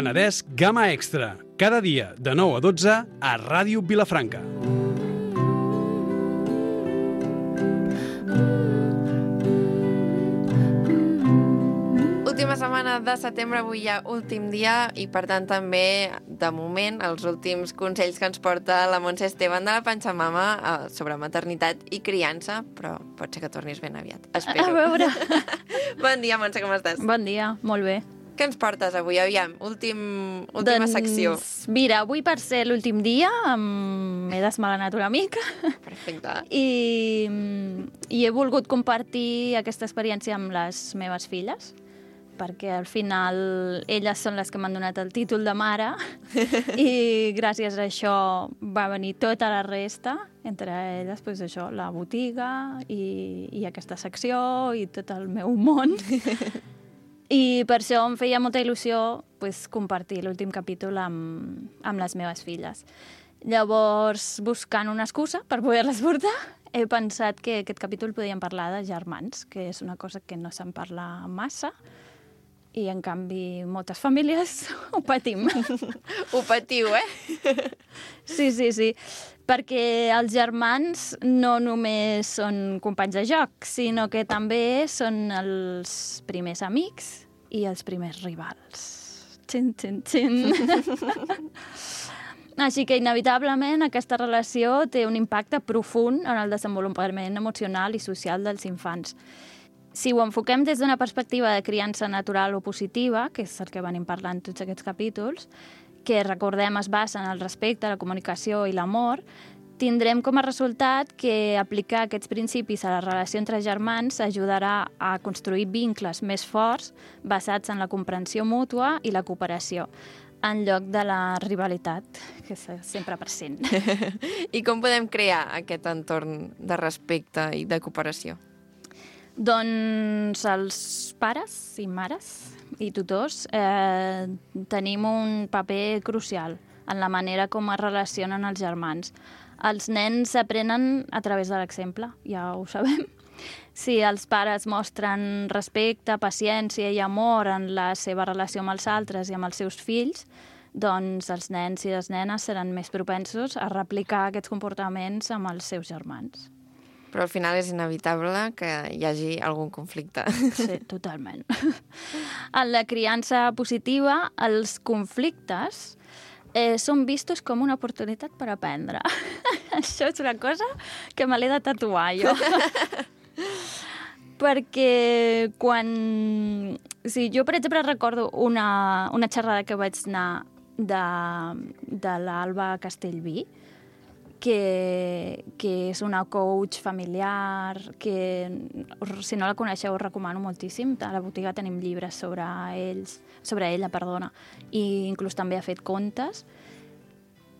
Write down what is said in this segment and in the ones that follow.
Penedès Gamma Extra, cada dia de 9 a 12 a Ràdio Vilafranca. Última setmana de setembre, avui ja últim dia i per tant també, de moment, els últims consells que ens porta la Montse Esteban de la Pachamama sobre maternitat i criança, però pot ser que tornis ben aviat, espero. A veure. Bon dia, Montse, com estàs? Bon dia, molt bé. Què ens portes avui? Aviam, última secció. Mira, avui per ser l'últim dia m'he desmalanat una mica. Perfecte. I he volgut compartir aquesta experiència amb les meves filles, perquè al final elles són les que m'han donat el títol de mare i gràcies a això va venir tota la resta, entre elles doncs això, la botiga i aquesta secció i tot el meu món. I per això em feia molta il·lusió pues, compartir l'últim capítol amb les meves filles. Llavors, buscant una excusa per poder-les portar, he pensat que aquest capítol podíem parlar de germans, que és una cosa que no se'n parla massa, i en canvi moltes famílies ho patim. Ho patiu, eh? Sí. Perquè els germans no només són companys de joc, sinó que també són els primers amics i els primers rivals. Xin. Així que, inevitablement, aquesta relació té un impacte profund en el desenvolupament emocional i social dels infants. Si ho enfoquem des d'una perspectiva de criança natural o positiva, que és el que venim parlant tots aquests capítols, que recordem es basa en el respecte, la comunicació i l'amor, tindrem com a resultat que aplicar aquests principis a la relació entre germans ajudarà a construir vincles més forts basats en la comprensió mútua i la cooperació, en lloc de la rivalitat, que és sempre present. I com podem crear aquest entorn de respecte i de cooperació? Doncs els pares i mares i tutors tenim un paper crucial en la manera com es relacionen els germans. Els nens aprenen a través de l'exemple, ja ho sabem. Si els pares mostren respecte, paciència i amor en la seva relació amb els altres i amb els seus fills, doncs els nens i les nenes seran més propensos a replicar aquests comportaments amb els seus germans. Però al final és inevitable que hi hagi algun conflicte. Sí, totalment. En la criança positiva, els conflictes són vistos com una oportunitat per aprendre. Això és una cosa que me l'he de tatuar, jo. Perquè quan... Sí, jo, per exemple, recordo una xerrada que vaig anar de l'Alba Castellví, que és una coach familiar, que si no la coneixeu us recomano moltíssim. A la botiga tenim llibres sobre ella, i inclús també ha fet contes.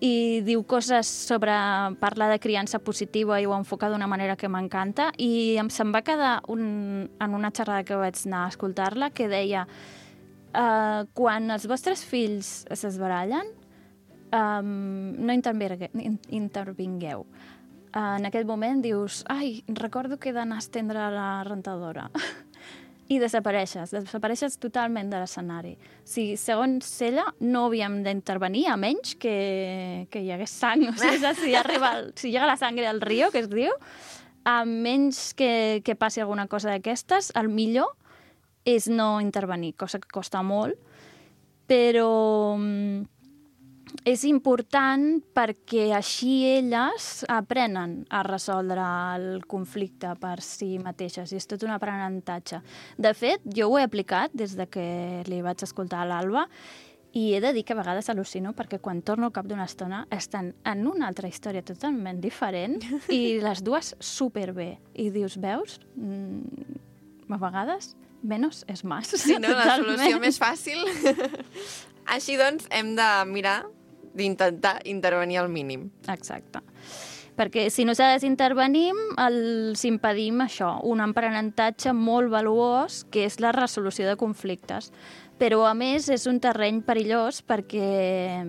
I diu coses sobre parlar de criança positiva i ho enfoca d'una manera que m'encanta. I se'm va quedar en una xerrada que vaig anar a escoltar-la que deia quan els vostres fills s'esbarallen, no intervingueu. En aquell moment dius, ai, recordo que he d'anar a estendre la rentadora. I desapareixes totalment de l'escenari. Si, segons ella, no havíem d'intervenir, a menys que hi hagués sang. O sigui, si llega la sangre al riu, que es diu, a menys que passi alguna cosa d'aquestes, el millor és no intervenir, cosa que costa molt, però és important perquè així elles aprenen a resoldre el conflicte per si mateixes, i és tot un aprenentatge. De fet, jo ho he aplicat des de que li vaig escoltar a l'Alba, i he de dir que a vegades al·lucino perquè quan torno al cap d'una estona estan en una altra història totalment diferent i les dues superbé. I dius, veus? A vegades menos és més. Sí, no? La solució més fàcil. Així doncs, hem de mirar d'intentar intervenir al mínim. Exacte. Perquè si nosaltres intervenim, els impedim això, un aprenentatge molt valuós, que és la resolució de conflictes. Però, a més, és un terreny perillós perquè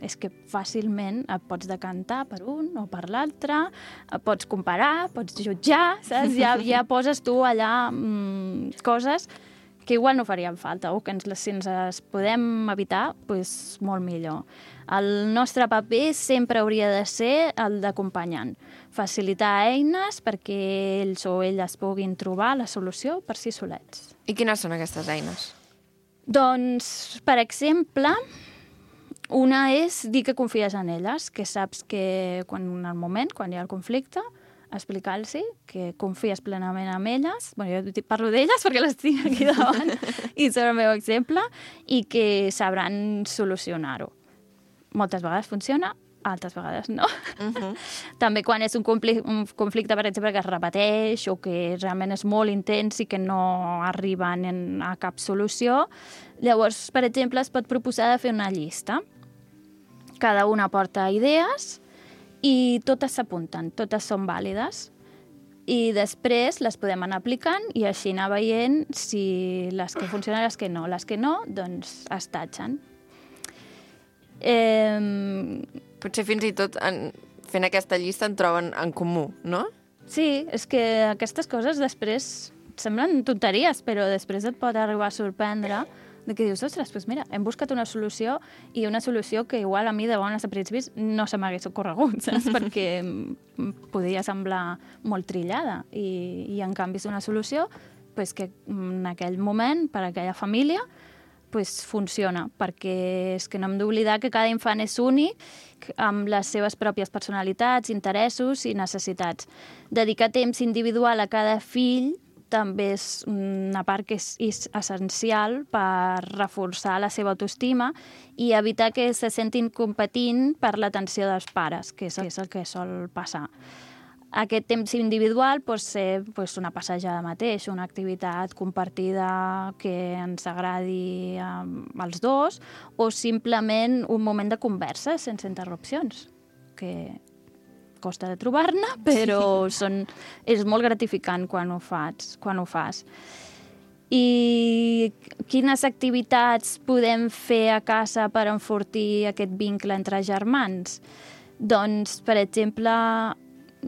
és que fàcilment et pots decantar per un o per l'altre, pots comparar, pots jutjar, saps? Ja poses tu allà coses que igual no farien falta, o que si ens es podem evitar, doncs molt millor. El nostre paper sempre hauria de ser el d'acompanyant, facilitar eines perquè ells o elles puguin trobar la solució per si solets. I quines són aquestes eines? Doncs, per exemple, una és dir que confies en elles, que saps que quan hi ha el conflicte, explicar-los que confies plenament en elles, jo parlo d'elles perquè les tinc aquí davant i són el meu exemple, i que sabran solucionar-ho. Moltes vegades funciona, altres vegades no. També quan és un conflicte, per exemple, que es repeteix o que realment és molt intens i que no arriben a cap solució, llavors, per exemple, es pot proposar de fer una llista. Cada una porta idees i totes s'apunten, totes són vàlides. I després les podem anar aplicant i així anar veient si les que funcionen i les que no. Les que no, doncs es tatxen. Potser fins i tot fent aquesta llista en troben en comú, no? Sí, és que aquestes coses després semblen tonteries, però després et pot arribar a sorprendre de que dius, ostres, doncs mira, hem buscat una solució i una solució que igual a mi de bones a principis no se m'hagués ocorregut, saps? Perquè podia semblar molt trillada i en canvi és una solució pues, que en aquell moment, per a aquella família, pues, funciona, perquè és que no hem d'oblidar que cada infant és únic amb les seves pròpies personalitats, interessos i necessitats. Dedicar temps individual a cada fill també és una part que és essencial per reforçar la seva autoestima i evitar que se sentin competint per l'atenció dels pares, que és el que sol passar. Aquest temps individual pot ser una passejada mateix, una activitat compartida que ens agradi als dos, o simplement un moment de conversa sense interrupcions, que costa de trobar-ne, però és molt gratificant quan ho fas. I quines activitats podem fer a casa per enfortir aquest vincle entre germans? Doncs, per exemple,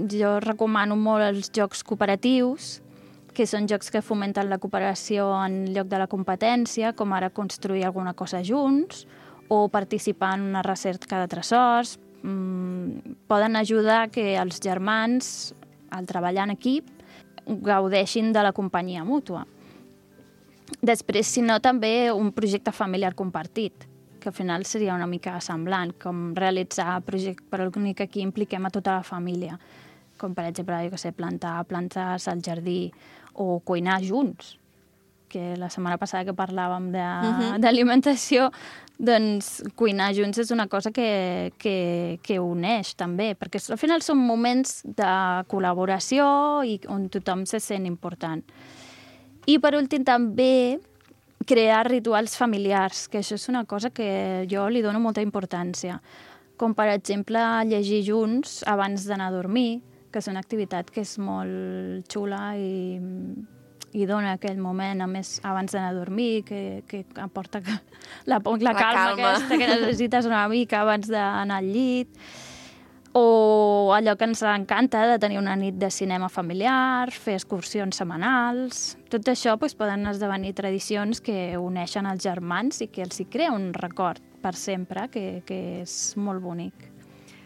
jo recomano molt els jocs cooperatius, que són jocs que fomenten la cooperació en lloc de la competència, com ara construir alguna cosa junts o participar en una recerca de tresors. Poden ajudar que els germans, al treballar en equip, gaudeixin de la companyia mútua. Després, si no, també un projecte familiar compartit, que al final seria una mica semblant, com realitzar projectes, però l'únic que aquí impliquem a tota la família, com per exemple, plantar plantes al jardí o cuinar junts, que la setmana passada que parlàvem d'alimentació, doncs cuinar junts és una cosa que uneix també, perquè al final són moments de col·laboració i on tothom se sent important. I per últim també crear rituals familiars, que això és una cosa que jo li dono molta importància, com per exemple llegir junts abans d'anar a dormir, que és una activitat que és molt xula i dona aquell moment, a més, abans d'anar a dormir, que aporta la calma aquesta que necessites una mica abans d'anar al llit. O allò que ens encanta de tenir una nit de cinema familiar, fer excursions setmanals. Tot això poden esdevenir tradicions que uneixen els germans i que els hi crea un record per sempre, que és molt bonic.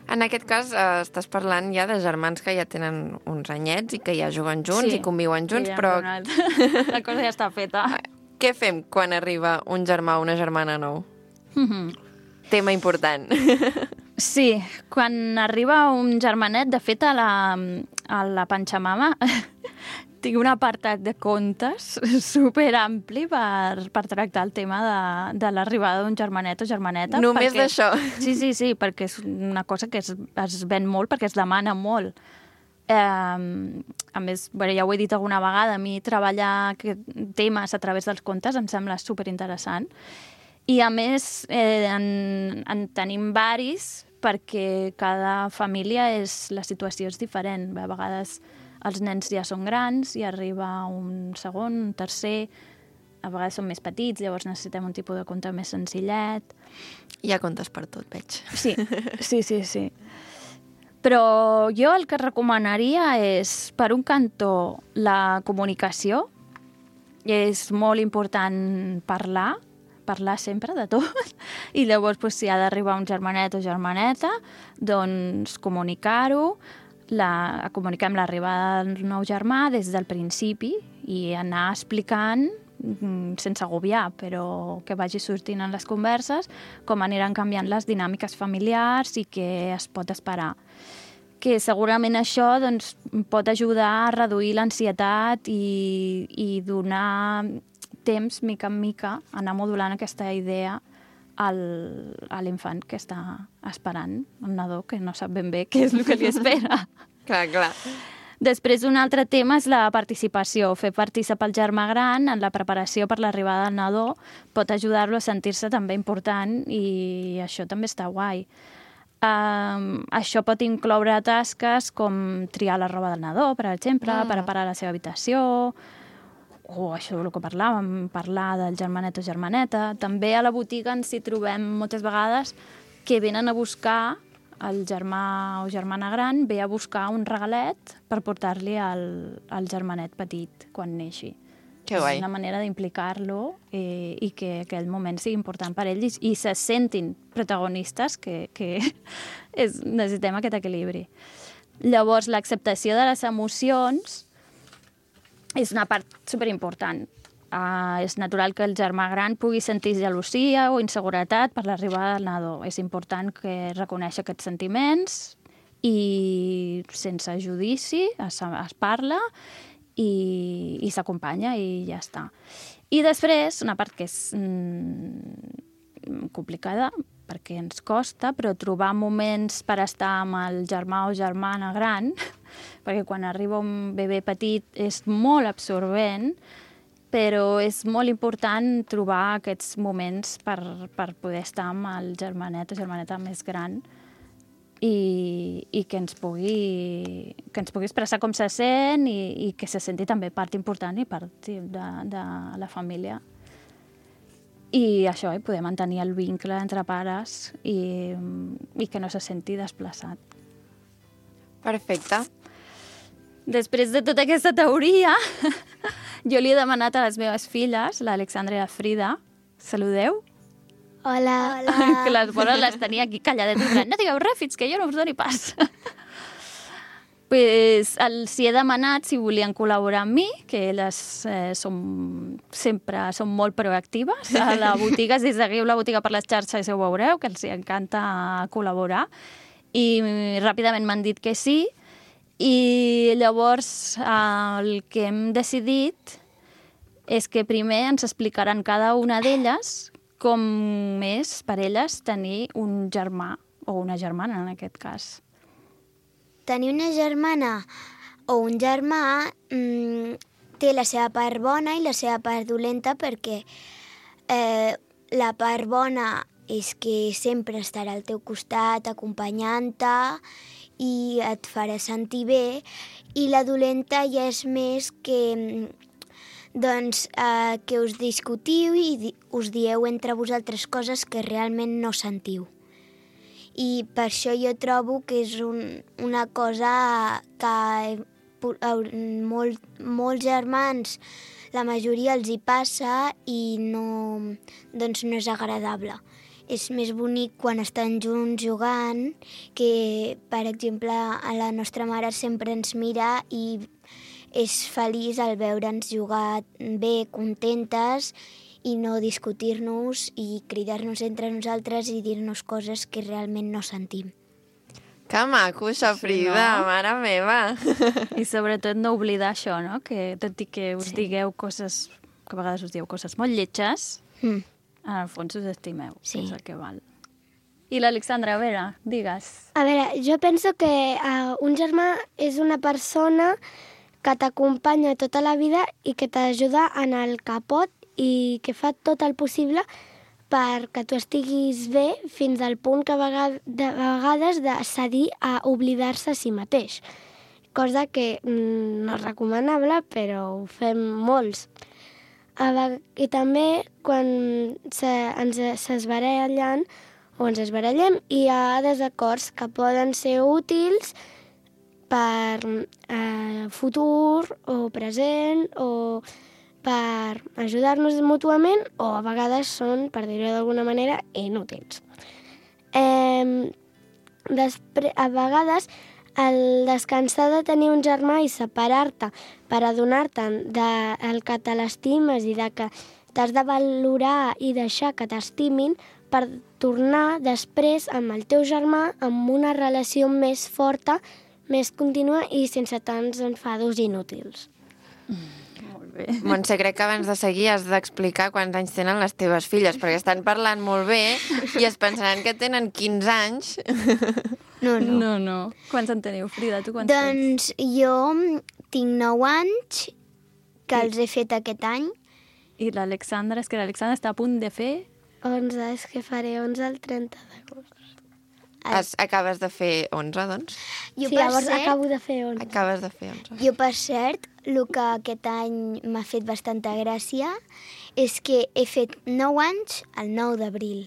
En aquest cas, estàs parlant ja de germans que ja tenen uns anyets i que ja juguen junts i conviuen junts, però... La cosa ja està feta. Què fem quan arriba un germà o una germana nou? Tema important. Sí, quan arriba un germanet, de fet, a la Pantxamama tinc un apartat de contes superampli per tractar el tema de l'arribada d'un germanet o germaneta. Només d'això? Sí, perquè és una cosa que es ven molt, perquè es demana molt. A més, ja ho he dit alguna vegada, a mi treballar temes a través dels contes em sembla superinteressant. I a més, en tenim varis, perquè cada família la situació és diferent. A vegades els nens ja són grans i arriba un segon, un tercer, a vegades són més petits, llavors necessitem un tipus de conte més senzillet. Hi ha contes per tot, veig. Sí. Però jo el que recomanaria és, per un cantó, la comunicació és molt important parlar sempre de tot, i llavors si ha d'arribar un germanet o germaneta, doncs comunicar-ho, comuniquem l'arribada del nou germà des del principi i anar explicant sense agobiar, però que vagi sortint en les converses com aniran canviant les dinàmiques familiars i què es pot esperar. Que segurament això doncs, pot ajudar a reduir l'ansietat i donar temps, mica en mica, anar modulant aquesta idea a l'infant que està esperant, el nadó, que no sap ben bé què és el que li espera. Clar. Després, un altre tema és la participació. Fer participar el germà gran en la preparació per l'arribada del nadó pot ajudar-lo a sentir-se també important i això també està guai. Això pot incloure tasques com triar la roba del nadó, per exemple, preparar la seva habitació, o això del que parlàvem, parlar del germanet o germaneta. També a la botiga ens hi trobem moltes vegades que venen a buscar, el germà o germana gran ve a buscar un regalet per portar-li al germanet petit quan neixi. Que guai. És una manera d'implicar-lo i que aquell moment sigui important per ells i se sentin protagonistes, que necessitem aquest equilibri. Llavors, l'acceptació de les emocions és una part superimportant. És natural que el germà gran pugui sentir gelosia o inseguretat per l'arribada del nadó. És important que reconeixi aquests sentiments i sense judici es parla i s'acompanya i ja està. I després, una part que és complicada, perquè ens costa, però trobar moments per estar amb el germà o germana gran, perquè quan arriba un bebè petit és molt absorbent, però és molt important trobar aquests moments per poder estar amb el germanet o germaneta més gran i que ens pugui expressar com se sent i que se senti també part important i part de la família. I això, poder mantenir el vincle entre pares i que no se senti desplaçat. Perfecte. Després de tota aquesta teoria, jo li he demanat a les meves filles, l'Alexandra i la Frida, saludeu? Hola. Que les bones les tenia aquí calladetes, no digueu res fins que jo no us doni pas. Pues els hi he demanat si volien col·laborar amb mi, que elles sempre són molt proactives a la botiga. Si seguiu la botiga per les xarxes ho veureu, que els hi encanta col·laborar. I ràpidament m'han dit que sí. I llavors el que hem decidit és que primer ens explicaran cada una d'elles com és per elles tenir un germà o una germana, en aquest cas. Tenir una germana o un germà té la seva part bona i la seva part dolenta, perquè la part bona és que sempre estarà al teu costat acompanyant-te i et farà sentir bé, i la dolenta ja és més que que us discutiu i us dieu entre vosaltres coses que realment no sentiu. I per això jo trobo que és una cosa que molts germans, la majoria els hi passa i no és agradable. És més bonic quan estan junts jugant, que, per exemple, a la nostra mare sempre ens mira i és feliç al veure'ns jugar bé, contentes, i no discutir-nos i cridar-nos entre nosaltres i dir-nos coses que realment no sentim. Que maco, això, Frida, Sí, no? mare meva. I sobretot no oblidar això, no? Que tot i que us digueu coses, que a vegades us dieu coses molt lletges, en el fons us estimeu, Sí. és el que val. I l'Alexandra, a veure, digues. A veure, jo penso que un germà és una persona que t'acompanya tota la vida i que t'ajuda en el que pot i que fa tot el possible perquè tu estiguis bé fins al punt que de vegades de cedir a oblidar-se a si mateix. Cosa que no és recomanable, però ho fem molts. I també quan s'esbarallen o ens esbarallem, hi ha desacords que poden ser útils per futur o present o per ajudar-nos mútuament o a vegades són, per dir-ho d'alguna manera, inútils. A vegades el descansar de tenir un germà i separar-te per adonar-te'n del que te l'estimes i de que t'has de valorar i deixar que t'estimin per tornar després amb el teu germà amb una relació més forta, més contínua i sense tants enfados inútils. Molt bé. Montse, crec que abans de seguir has d'explicar quants anys tenen les teves filles, perquè estan parlant molt bé i es pensaran que tenen 15 anys. No. Quants en teniu, Frida? Tu quants tens? Doncs jo tinc 9 anys, que els he fet aquest any. I l'Alexandra, és que l'Alexandra està a punt de fer... 11, és que faré 11 el 30 d'agost. Acabes de fer 11, doncs? Sí, llavors acabo de fer 11. Acabes de fer 11. Jo, per cert, el que aquest any m'ha fet bastanta gràcia és que he fet 9 anys el 9 d'abril.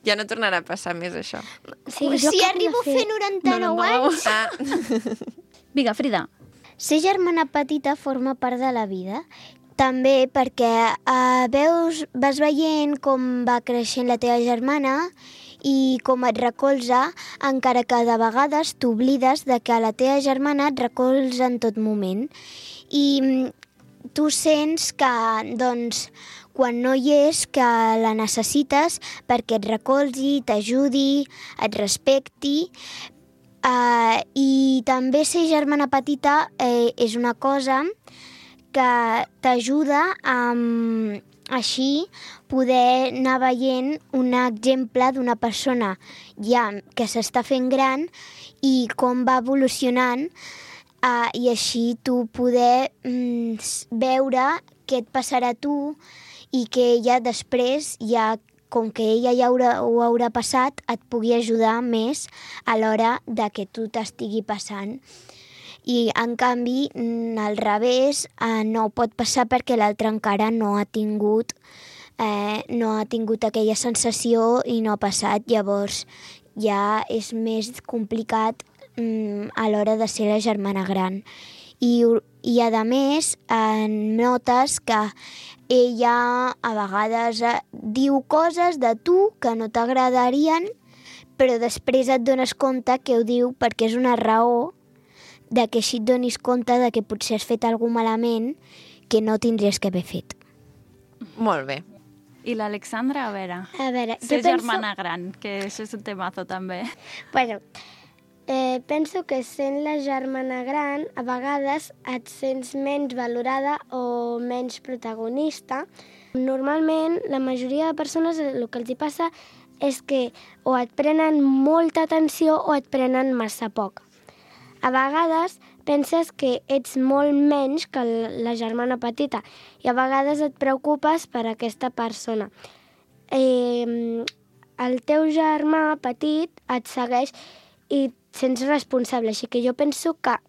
Ja no tornarà a passar més, això. Sí, Si arribo a fer 99 anys... Vinga, Frida. Ser germana petita forma part de la vida. També perquè vas veient com va creixent la teva germana i com et recolza, encara que de vegades t'oblides de que la teva germana et recolza en tot moment. I tu sents que, doncs, quan no hi és, que la necessites perquè et recolzi, t'ajudi, et respecti. I també ser germana petita és una cosa que t'ajuda a així poder anar veient un exemple d'una persona ja que s'està fent gran i com va evolucionant i així tu poder veure què et passarà a tu i que ella després, ja, com que ella ja ho haurà passat, et pugui ajudar més a l'hora de que tu t'estigui passant. I, en canvi, al revés, no pot passar perquè l'altre encara no ha tingut aquella sensació i no ha passat. Llavors, ja és més complicat a l'hora de ser la germana gran. I a més, notes que ella a vegades diu coses de tu que no t'agradarien, però després et dones compte que ho diu perquè és una raó de que així et donis compte de que potser has fet alguna malament que no tindries que haver fet. Molt bé. I l'Alexandra, a veure, ser germana gran, que això és un temazo també. Bueno, penso que sent la germana gran a vegades et sents menys valorada o menys protagonista. Normalment, la majoria de persones el que els hi passa és que o et prenen molta atenció o et prenen massa poc. A vegades penses que ets molt menys que la germana petita i a vegades et preocupes per aquesta persona. El teu germà petit et segueix i et sents responsable, així que jo penso que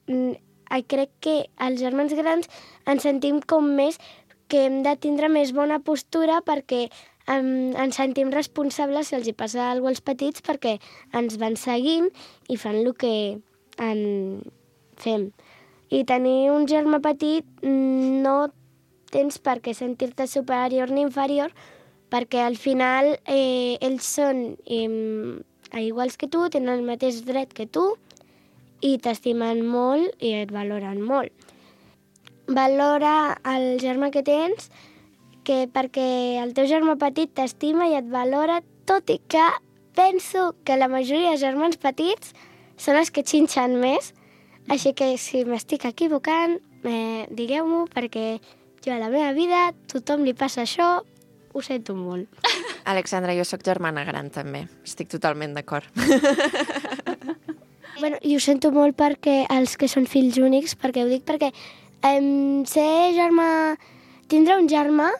crec que els germans grans ens sentim com més que hem de tindre més bona postura perquè ens sentim responsables si els hi passa alguna cosa als petits perquè ens van seguint i fan el que en fem. I tenir un germà petit no tens per què sentir-te superior ni inferior perquè al final ells són iguals que tu, tenen el mateix dret que tu i t'estimen molt i et valoren molt. Valora el germà que tens perquè el teu germà petit t'estima i et valora, tot i que penso que la majoria de germans petits són els que xinxen més, així que si m'estic equivocant, digueu-m'ho, perquè jo a la meva vida tothom li passa això, ho sento molt. Alexandra, jo sóc germana gran també, estic totalment d'acord. Bueno, i ho sento molt perquè els que són fills únics, perquè ho dic perquè tindre un germà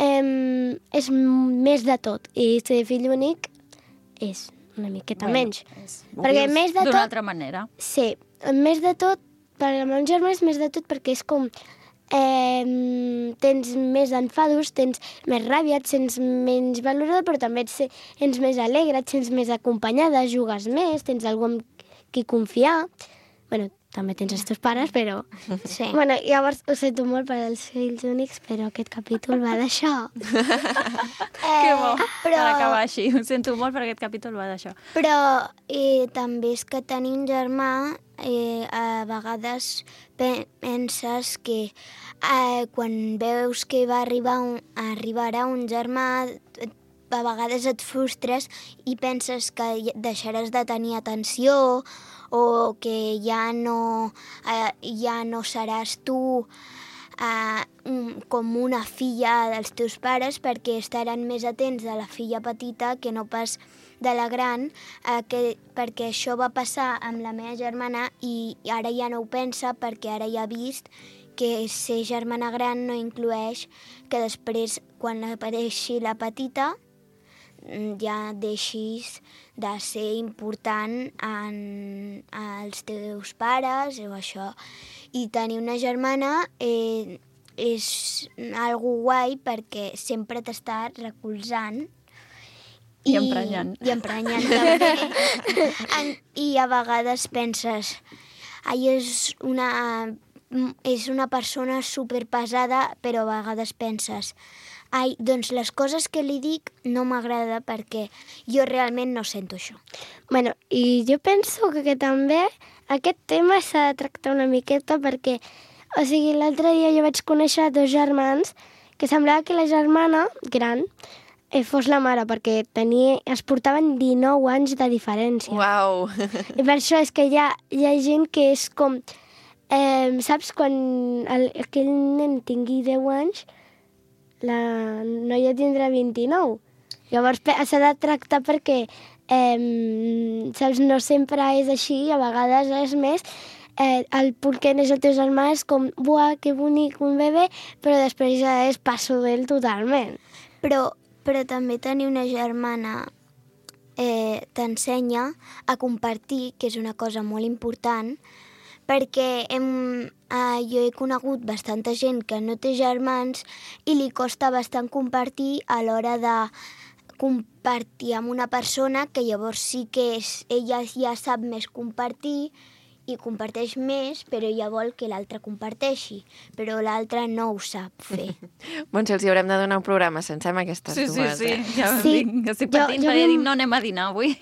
és més de tot, i ser fill únic és una miqueta menys. Perquè més de tot... D'una altra manera. Sí, més de tot, per al meu germà és més de tot perquè és com... tens més enfados, tens més ràbia, et sents menys valorada, però també et sents més alegre, et sents més acompanyada, jugues més, tens algú amb qui confiar... Bueno, també tens els teus pares, però... Sí. Bueno, llavors ho sento molt per als fills únics, però aquest capítol va d'això. Que bo, per acabar així. Ho sento molt per aquest capítol va d'això. Però també és que tenir un germà, a vegades penses que quan veus que arribarà un germà, a vegades et frustres i penses que deixaràs de tenir atenció o que ja no seràs tu com una filla dels teus pares perquè estaran més atents a la filla petita que no pas de la gran, perquè això va passar amb la meva germana i ara ja no ho pensa perquè ara ja ha vist que ser germana gran no inclueix que després, quan apareixi la petita, ja deixis de ser important als teus pares o això. I tenir una germana és algo guai perquè sempre t'està recolzant I emprenyant. I emprenyant també. I a vegades penses, és una persona superpesada, però a vegades penses, doncs les coses que li dic no m'agrada perquè jo realment no sento això. Bueno, i jo penso que també aquest tema s'ha de tractar una miqueta perquè, o sigui, l'altre dia jo vaig conèixer 2 germans que semblava que la germana gran fos la mare, perquè es portaven 19 anys de diferència. Uau! I per això és que hi ha gent que és com... saps, quan aquell nen tingui 10 anys, la noia tindrà 29. Llavors s'ha de tractar perquè, saps, no sempre és així, a vegades és més... el perquè neix el teu germà és com, buah, que bonic, un bebè, però després ja és passo d'ell totalment. Però també tenir una germana t'ensenya a compartir, que és una cosa molt important, perquè jo he conegut bastanta gent que no té germans i li costa bastant compartir a l'hora de compartir amb una persona que llavors sí que ella ja sap més compartir i comparteix més, però ella vol que l'altre comparteixi, però l'altre no ho sap fer. Montse, els hi haurem de donar un programa sencer amb aquestes dues. Sí, ja estic patint, perquè dic, no anem a dinar avui.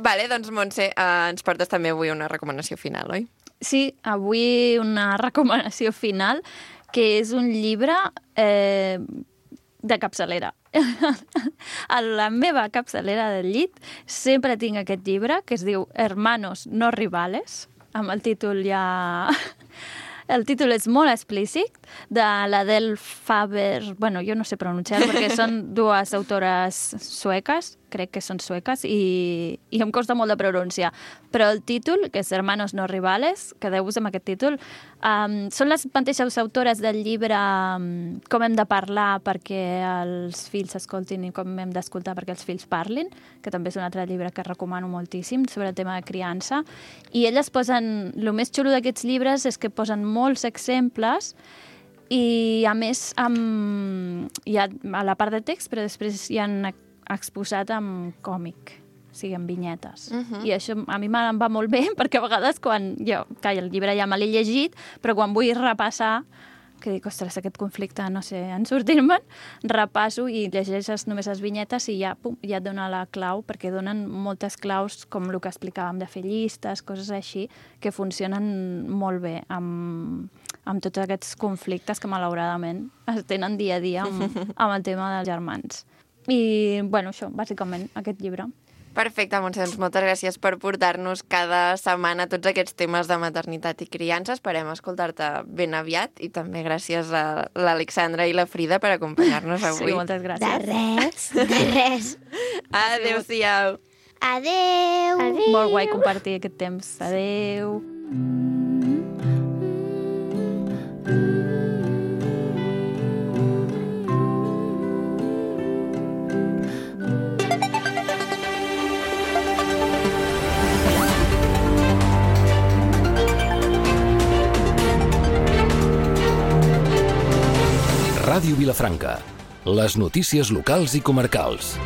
Vale, doncs, Montse, ens portes també avui una recomanació final, oi? Sí, avui una recomanació final, que és un llibre de capçalera. A la meva capçalera del llit sempre tinc aquest llibre que es diu Hermanos no rivales, amb el títol ja... El títol és molt explícit, de l'Adele Faber... Bueno, jo no sé pronunciar-ho perquè són 2 autores sueques, crec que són sueques, i em costa molt de pronunciar. Però el títol, que és Hermanos no rivales, quedeu-vos amb aquest títol, són les mateixes autores del llibre Com hem de parlar perquè els fills escoltin i com hem d'escoltar perquè els fills parlin, que també és un altre llibre que recomano moltíssim sobre el tema de criança. I elles posen... El més xulo d'aquests llibres és que posen molts exemples i, a més, hi ha a la part de text, però després hi han exposat amb còmic, o sigui, amb vinyetes. I això a mi em va molt bé, perquè a vegades quan el llibre ja me l'he llegit, però quan vull repassar, que dic, ostres, aquest conflicte, no sé, en sortir-me'n, repasso i llegeixes només les vinyetes i ja et dona la clau, perquè donen moltes claus, com el que explicàvem, de fer llistes, coses així, que funcionen molt bé amb tots aquests conflictes que malauradament es tenen dia a dia amb el tema dels germans. I, bueno, això, bàsicament, aquest llibre. Perfecte, Montse, doncs moltes gràcies per portar-nos cada setmana tots aquests temes de maternitat i criança. Esperem escoltar-te ben aviat i també gràcies a l'Alexandra i la Frida per acompanyar-nos avui. Sí, moltes gràcies. De res. Adéu-siau. Adéu. Molt guai compartir aquest temps. Adéu. Ràdio Vilafranca. Les notícies locals i comarcals.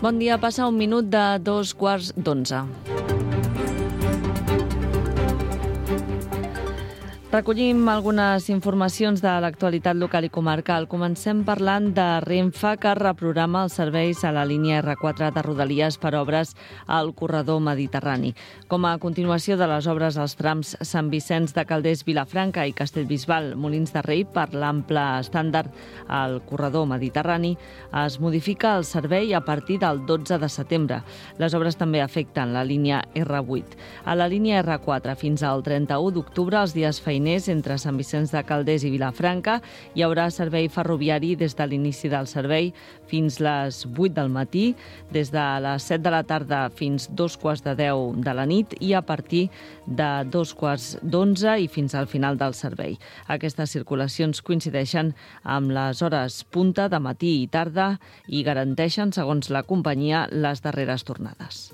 Bon dia, passa un minut de 11:15. Recollim algunes informacions de l'actualitat local i comarcal. Comencem parlant de Renfe, que reprograma els serveis a la línia R4 de Rodalies per obres al corredor mediterrani. Com a continuació de les obres als trams Sant Vicenç de Calders, Vilafranca i Castellbisbal, Molins de Rei, per l'ample estàndard al corredor mediterrani, es modifica el servei a partir del 12 de setembre. Les obres també afecten la línia R8. A la línia R4 fins al 31 d'octubre, els dies feiners entre Sant Vicenç de Calders i Vilafranca, hi haurà servei ferroviari des de l'inici del servei fins les 8 del matí, des de les 7 de la tarda fins 9:45 de la nit i a partir de 11:15 i fins al final del servei. Aquestes circulacions coincideixen amb les hores punta de matí i tarda i garanteixen, segons la companyia, les darreres tornades.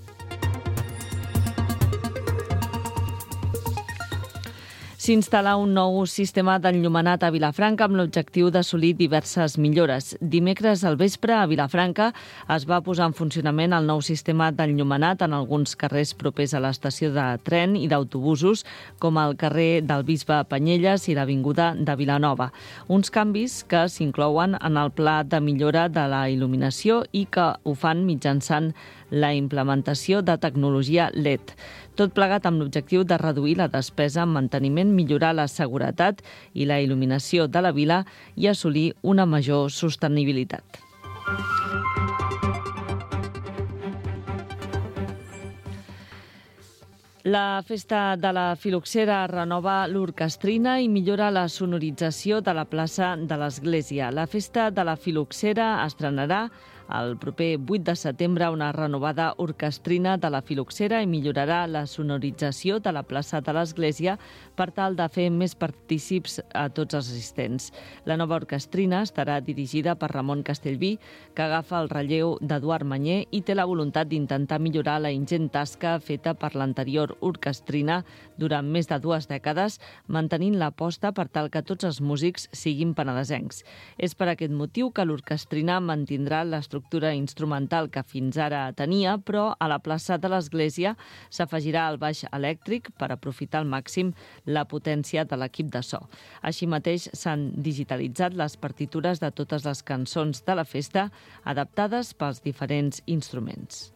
S'instal·la un nou sistema d'enllumenat a Vilafranca amb l'objectiu d'assolir diverses millores. Dimecres al vespre a Vilafranca es va posar en funcionament el nou sistema d'enllumenat en alguns carrers propers a l'estació de tren i d'autobusos, com el carrer del Bisbe Panyelles i l'avinguda de Vilanova. Uns canvis que s'inclouen en el pla de millora de la il·luminació i que ho fan mitjançant la implementació de tecnologia LED. Tot plegat amb l'objectiu de reduir la despesa en manteniment, millorar la seguretat i la il·luminació de la vila i assolir una major sostenibilitat. La Festa de la Filoxera renova l'orquestrina i millora la sonorització de la plaça de l'Església. La Festa de la Filoxera estrenarà el proper 8 de setembre una renovada orquestrina de la Filoxera i millorarà la sonorització de la plaça de l'Església per tal de fer més partícips a tots els assistents. La nova orquestrina estarà dirigida per Ramon Castellví, que agafa el relleu d'Eduard Manyer i té la voluntat d'intentar millorar la ingent tasca feta per l'anterior orquestrina durant més de 2 dècades, mantenint l'aposta per tal que tots els músics siguin penedesencs. És per aquest motiu que l'orquestrina mantindrà l'estructura instrumental que fins ara tenia, però a la plaça de l'Església s'afegirà el baix elèctric per aprofitar al màxim la potència de l'equip de so. Així mateix s'han digitalitzat les partitures de totes les cançons de la festa, adaptades pels diferents instruments.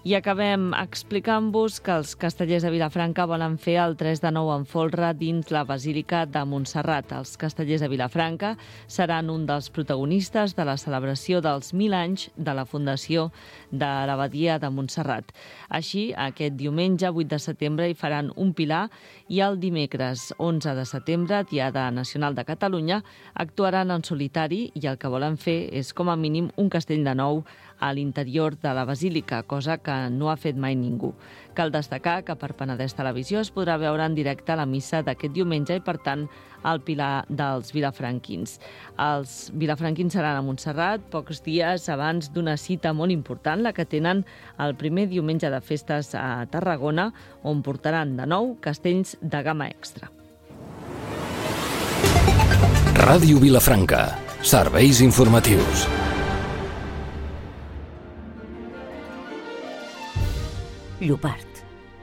I acabem explicant-vos que els castellers de Vilafranca volen fer el 3 de 9 en folre dins la Basílica de Montserrat. Els castellers de Vilafranca seran un dels protagonistes de la celebració dels 1000 anys de la fundació de l'Abadia de Montserrat. Així, aquest diumenge, 8 de setembre, hi faran un pilar i el dimecres, 11 de setembre, Diada Nacional de Catalunya, actuaran en solitari i el que volen fer és, com a mínim, un castell de nou a l'interior de la Basílica, cosa que no ha fet mai ningú. Cal destacar que per Penedès Televisió es podrà veure en directe la missa d'aquest diumenge i, per tant, el pilar dels vilafranquins. Els vilafranquins seran a Montserrat pocs dies abans d'una cita molt important, la que tenen el primer diumenge de festes a Tarragona, on portaran de nou castells de gamma extra. Ràdio Vilafranca. Serveis informatius. Llopart.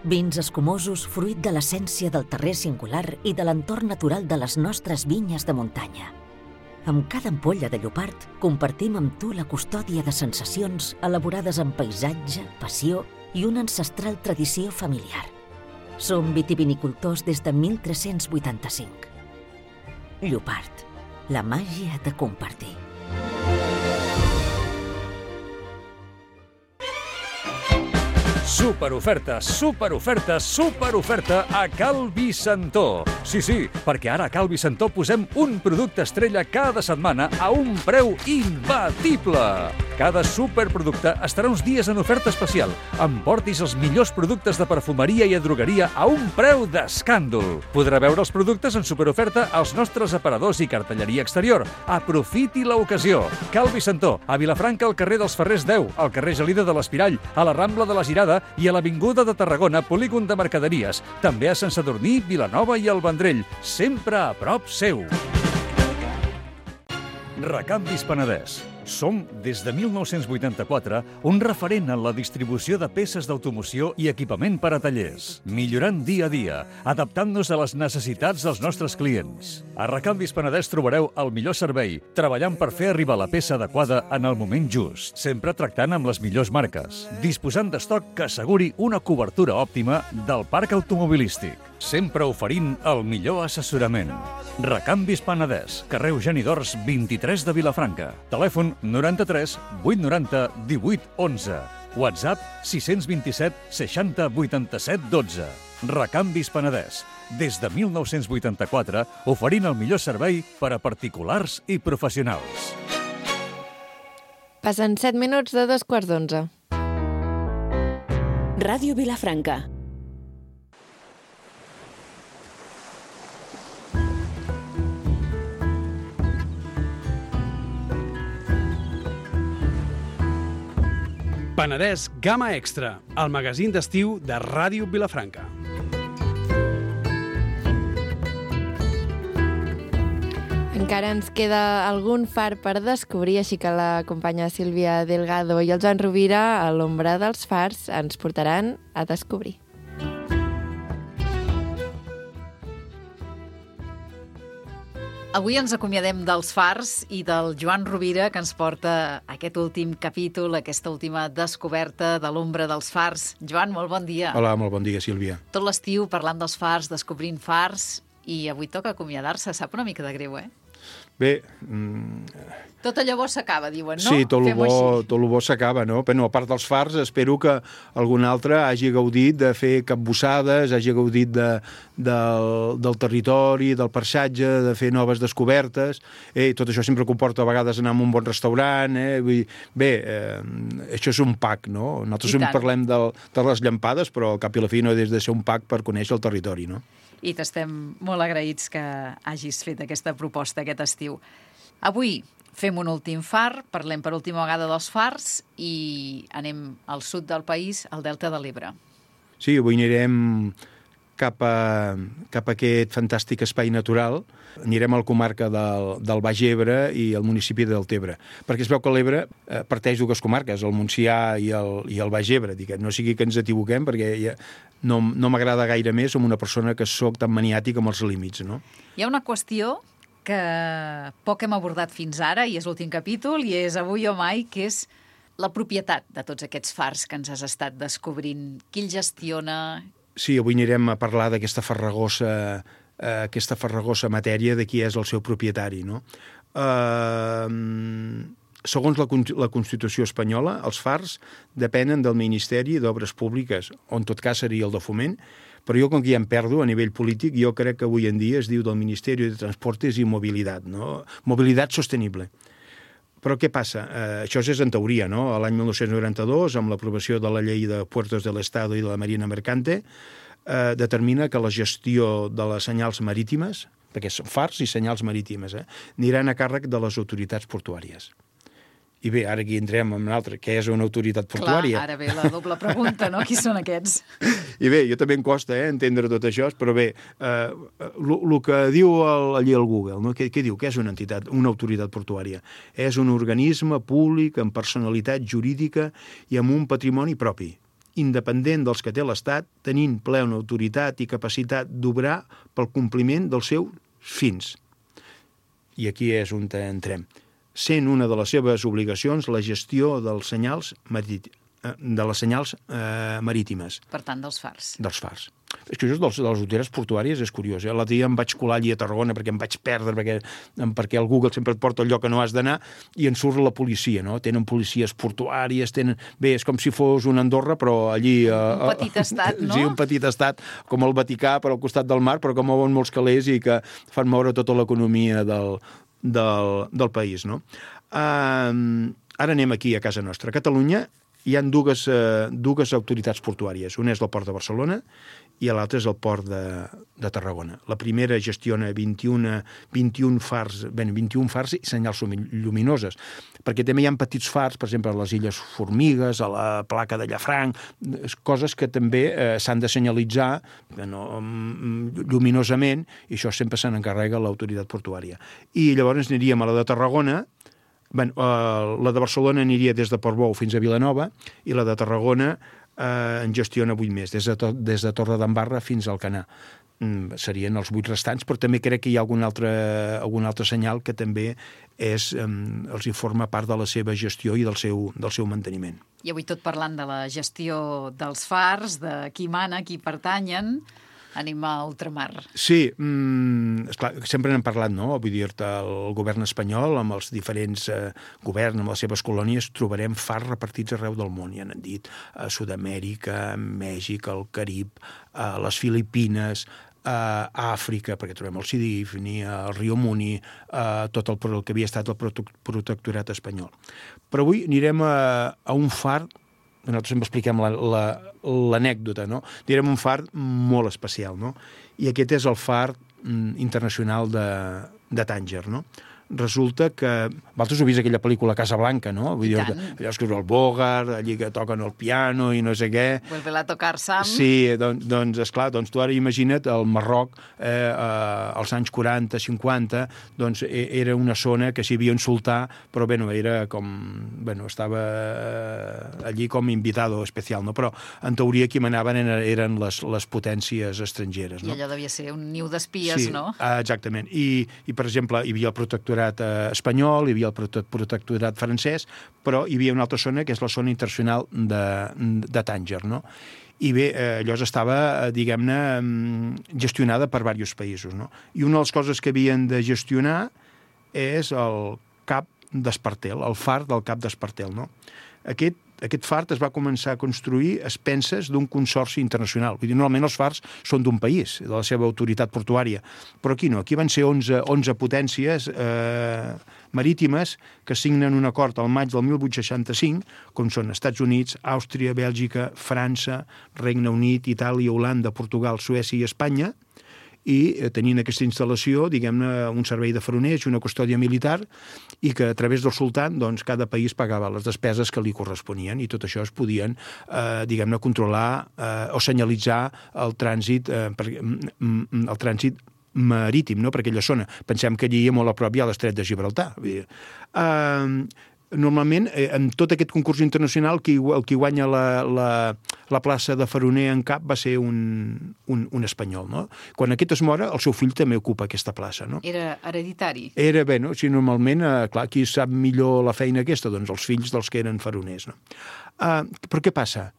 Vins escumosos fruit de l'essència del terrer singular i de l'entorn natural de les nostres vinyes de muntanya. Amb cada ampolla de Llopart compartim amb tu la custòdia de sensacions elaborades amb paisatge, passió i una ancestral tradició familiar. Som vitivinicultors des de 1385. Llopart. La màgia de compartir. Superoferta, superoferta, superoferta a Cal Vicentó. Sí, perquè ara a Cal Vicentó posem un producte estrella cada setmana a un preu imbatible. Cada superproducte estarà uns dies en oferta especial. Emportis els millors productes de perfumeria i drogueria a un preu d'escàndol. Podrà veure els productes en superoferta als nostres aparadors i cartelleria exterior. Aprofiti l'ocasió. Cal Vicentó, a Vilafranca, al carrer dels Ferrers 10, al carrer Gelida de l'Espirall, a la Rambla de la Girada i a l'Avinguda de Tarragona, polígon de mercaderies. També a Sant Sadurní, Vilanova i el Vendrell. Sempre a prop seu. Recanvis Penedès. Som, des de 1984, un referent en la distribució de peces d'automoció i equipament per a tallers, millorant dia a dia, adaptant-nos a les necessitats dels nostres clients. A Recanvis Penedès trobareu el millor servei, treballant per fer arribar la peça adequada en el moment just, sempre tractant amb les millors marques, disposant d'estoc que asseguri una cobertura òptima del parc automobilístic, sempre oferint el millor assessorament. Recanvis Penedès, carrer Eugeni d'Ors 23 de Vilafranca. Telèfon 93 890 18 11. WhatsApp 627 60 87 12. Recanvis Penedès. Des de 1984, oferint el millor servei per a particulars i professionals. Passen 7 minuts de 2:15. Ràdio Vilafranca. Penedès Gamma Extra, el magazín d'estiu de Ràdio Vilafranca. Encara ens queda algun far per descobrir, així que la companya Sílvia Delgado i el Joan Rovira, a l'ombra dels fars, ens portaran a descobrir. Avui ens acomiadem dels fars i del Joan Rovira, que ens porta aquest últim capítol, aquesta última descoberta de l'ombra dels fars. Joan, molt bon dia. Hola, molt bon dia, Sílvia. Tot l'estiu parlant dels fars, descobrint fars, i avui toca acomiadar-se. Sap una mica de greu, eh? Bé... Tot allò bo s'acaba, diuen, no? Sí, tot el bo s'acaba, no? Però no, a part dels fars, espero que algun altre hagi gaudit de fer capbussades, hagi gaudit del territori, del paisatge, de fer noves descobertes. Tot això sempre comporta a vegades anar a un bon restaurant. Això és un pack, no? Nosaltres parlem de les llampades, però al cap i la fi no és de ser un pack per conèixer el territori, no? I t'estem molt agraïts que hagis fet aquesta proposta aquest estiu. Avui fem un últim far, parlem per última vegada dels fars i anem al sud del país, al Delta de l'Ebre. Sí, avui anirem cap a aquest fantàstic espai natural. Anirem a la comarca del Baix Ebre i al municipi de Deltebre, perquè es veu que l'Ebre parteix dues comarques, el Montsià i el Baix Ebre. No sigui que ens equivoquem, perquè no m'agrada gaire més, som una persona que soc tan maniàtic amb els límits, no? Hi ha una qüestió que poc hem abordat fins ara, i és l'últim capítol, i és avui o mai, que és la propietat de tots aquests fars que ens has estat descobrint. Qui el gestiona? Sí, avui anirem a parlar d'aquesta farragosa matèria de qui és el seu propietari, no? Segons la Constitució espanyola, els fars depenen del Ministeri d'Obres Públiques, o en tot cas seria el de Foment, però jo, com que ja em perdo a nivell polític, jo crec que avui en dia es diu del Ministeri de Transportes i Mobilitat, no? Mobilitat sostenible. Però què passa? Això és en teoria, no? L'any 1992, amb l'aprovació de la Llei de Puertos del Estado i de la Marina Mercante, determina que la gestió de les senyals marítimes, perquè són fars i senyals marítimes, aniran a càrrec de les autoritats portuàries. I bé, ara aquí entrem en un altre, què és una autoritat portuària? Clar, ara ve la doble pregunta, no? Qui són aquests? I bé, jo també em costa entendre tot això, però bé, el que diu allí al Google, no? Què diu? Què és una entitat, una autoritat portuària? És un organisme públic amb personalitat jurídica i amb un patrimoni propi, independent dels que té l'Estat, tenint plena autoritat i capacitat d'obrar pel compliment dels seus fins. I aquí és on entrem. Sent una de les seves obligacions la gestió dels senyals marítimes. Per tant, dels fars. Dels fars. És que això de les autoritats portuàries és curiós. L'altre dia em vaig colar allí a Tarragona perquè em vaig perdre, perquè el Google sempre et porta al lloc que no has d'anar, i en surt la policia, no? Tenen policies portuàries, Bé, és com si fos una Andorra, però allí... Un petit estat, no? Sí, un petit estat, com el Vaticà, per al costat del mar, però que mouen molts calés i que fan moure tota l'economia del país, no? Ara anem aquí a casa nostra. A Catalunya hi ha dues autoritats portuàries. Una és el Port de Barcelona i l'altra és el Port de Tarragona. La primera gestiona 21 fars i senyals lluminoses, perquè també hi ha petits fars, per exemple, a les Illes Formigues, a la placa de Llafranc, coses que també s'han de senyalitzar lluminosament, i això sempre se n'encarrega l'autoritat portuària. I llavors aniríem a la de Tarragona. La de Barcelona aniria des de Portbou fins a Vilanova i la de Tarragona en gestiona 8 més, des de Torredembarra fins al Canà. Serien els 8 restants, però també crec que hi ha algun altre senyal que també els forma part de la seva gestió i del seu manteniment. I avui tot parlant de la gestió dels fars, de qui mana, qui pertanyen, anem a ultramar. Sí, esclar, sempre n'hem parlat, no? Vull dir-te, el govern espanyol, amb els diferents governs, amb les seves colònies, trobarem fars repartits arreu del món, ja n'han dit, a Sud-amèrica, Mèxic, el Carib, a les Filipines, a Àfrica, perquè trobem el Sidi Ifni, el Rio Muni, tot el que havia estat el protectorat espanyol. Però avui anirem a un far, nosaltres sempre expliquem l'anècdota, no? Direm un far molt especial, no? I aquest és el far internacional de Tànger, no? Resulta que... Vosaltres heu vist aquella pel·lícula Casablanca, no? Vull dir, allò que és el Bogart, allí que toquen el piano i no sé què. Vuelve a tocar Sam. Sí, doncs, esclar, tu ara imagina't el Marroc als anys 40, 50, doncs era una zona que s'hi havia un sultà, però era com... estava allí com invitado especial, no? Però en teoria qui manaven eren les potències estrangeres, no? I allò devia ser un niu d'espies, no? Sí, exactament. I, per exemple, hi havia el protectorat espanyol, hi havia el protectorat francès, però hi havia una altra zona que és la zona internacional de Tànger, no? I bé, allò estava, diguem-ne, gestionada per diversos països, no? I una de les coses que havien de gestionar és el Cap d'Espartel, el far del Cap d'Espartel, no? Aquest far es va començar a construir a expenses d'un consorci internacional. Vull dir, normalment els fars són d'un país, de la seva autoritat portuària, però aquí no. Aquí van ser 11 potències marítimes que signen un acord al maig del 1865, com són Estats Units, Àustria, Bèlgica, França, Regne Unit, Itàlia, Holanda, Portugal, Suècia i Espanya, i tenint aquesta instal·lació, diguem-ne, un servei de faroners i una custòdia militar, i que a través del sultan, doncs, cada país pagava les despeses que li corresponien, i tot això es podien, diguem-ne, controlar o senyalitzar el trànsit marítim, no?, per aquella zona. Pensem que allí, molt a prop, hi ha l'estret de Gibraltar. Normalment, en tot aquest concurs internacional, el qui guanya la plaça de faroner en cap va ser un espanyol, no? Quan aquest es mora, el seu fill també ocupa aquesta plaça, no? Era hereditari? Era, bé, no? Si normalment, clar, qui sap millor la feina aquesta? Doncs els fills dels que eren faroners, no? Però què passa?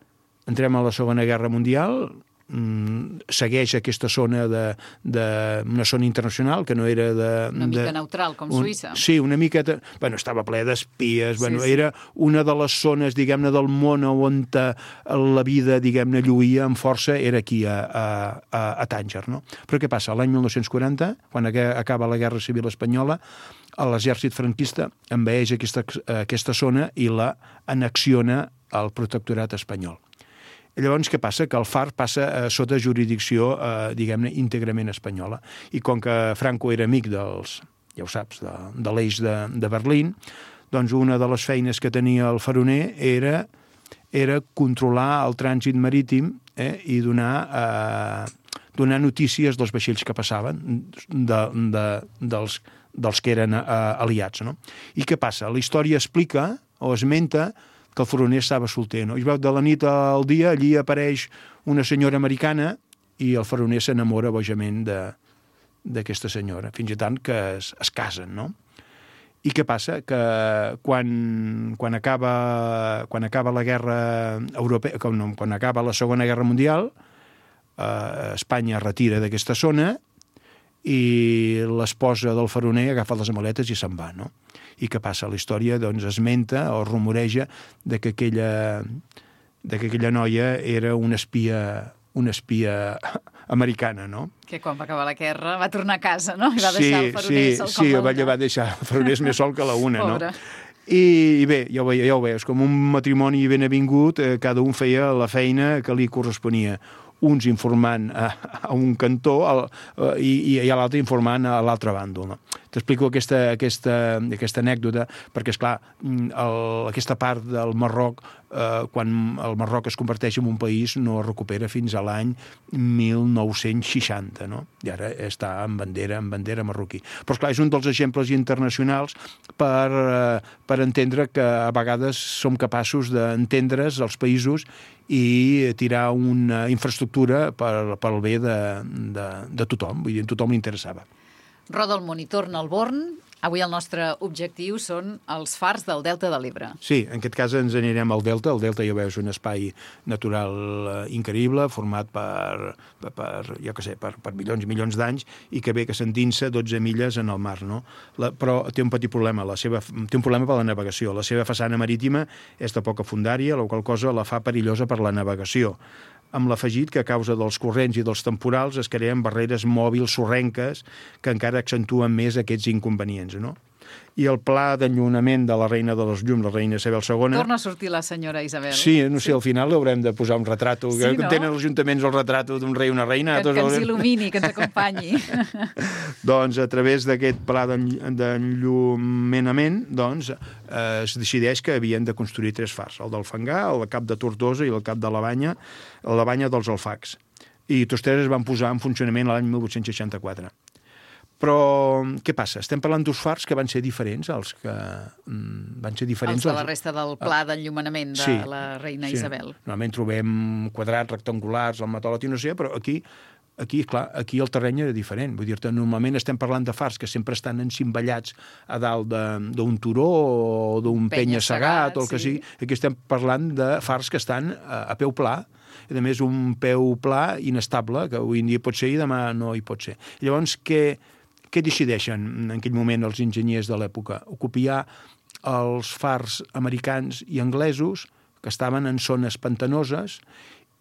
Entrem a la Segona Guerra Mundial, segueix aquesta zona una zona internacional que no era una mica neutral, com Suïssa. Sí, una miqueta... Estava ple d'espies, era una de les zones, diguem-ne, del món on la vida, diguem-ne, lluïa amb força, era aquí a Tànger, no? Però què passa? L'any 1940, quan acaba la Guerra Civil Espanyola, l'exèrcit franquista envaeix aquesta zona i la annexiona al protectorat espanyol. Llavors, què passa? Que el far passa sota jurisdicció, diguem-ne, íntegrament espanyola. I com que Franco era amic dels, ja ho saps, de l'eix de Berlín, doncs una de les feines que tenia el faroner era controlar el trànsit marítim i donar notícies dels vaixells que passaven, dels que eren aliats, no? I què passa? La història explica o esmenta que el faroner estava solter, no? I veu de la nit al dia, allí apareix una senyora americana i el faroner s'enamora bojament d'aquesta senyora, fins i tant que es casen, no? I què passa? Que quan acaba la guerra europea, quan acaba la Segona Guerra Mundial, Espanya es retira d'aquesta zona i l'esposa del faroner agafa les maletes i se'n va, no? I què passa? La història, doncs, esmenta o rumoreja que aquella noia era una espia americana, no? Que quan va acabar la guerra va tornar a casa, no? I va deixar el faroner sol com la una. Sí, va deixar el faroner més sol que la una, no? I bé, ja ho veies, com un matrimoni ben avingut, cada un feia la feina que li corresponia. Uns informant a un cantó i l'altre informant a l'altre bàndol. No? T'explico aquesta anècdota perquè, esclar, aquesta part del Marroc, quan el Marroc es converteix en un país, no es recupera fins a l'any 1960, no? I ara està en bandera marroquí. Però, esclar, és un dels exemples internacionals per entendre que a vegades som capaços d'entendre's els països i tirar una infraestructura pel bé de tothom. Vull dir, a tothom li interessava. Roda el monitor Nalborn. Avui el nostre objectiu són els fars del Delta de l'Ebre. Sí, en aquest cas ens anirem al Delta. El Delta, ja veus, un espai natural increïble, format per milions i milions d'anys, i que bé que s'endinsa 12 milles en el mar, no? Però té un petit problema, té un problema per la navegació. La seva façana marítima és de poca fondària, la qual cosa la fa perillosa per la navegació, amb l'afegit que a causa dels corrents i dels temporals es creen barreres mòbils sorrenques que encara accentuen més aquests inconvenients, no? I el pla d'enllunament de la reina de les llums, la reina Isabel II... Torna a sortir la senyora Isabel. Sí, no sé, al final haurem de posar un retrato. Sí, no? Tenen els ajuntaments el retrato d'un rei i una reina. Que ens il·lumini, que ens acompanyi. Doncs a través d'aquest pla d'enllumenament es decideix que havien de construir 3 fars, el del Fangar, el cap de Tortosa i el cap de la Banya dels Alfacs. I tots 3 es van posar en funcionament l'any 1864. Però què passa? Estem parlant d'uns fars que van ser diferents, els de la resta del pla d'enllumenament de la reina Isabel. Normalment trobem quadrats, rectangulars, el matòlet i no sé, però aquí el terreny era diferent. Vull dir-te, normalment estem parlant de fars que sempre estan encimballats a dalt d'un turó o d'un penya-segat o el que sigui. Aquí estem parlant de fars que estan a peu pla, a més un peu pla inestable, que avui en dia pot ser i demà no hi pot ser. Llavors, què decideixen en aquell moment els enginyers de l'època? Copiar els fars americans i anglesos que estaven en zones pantanoses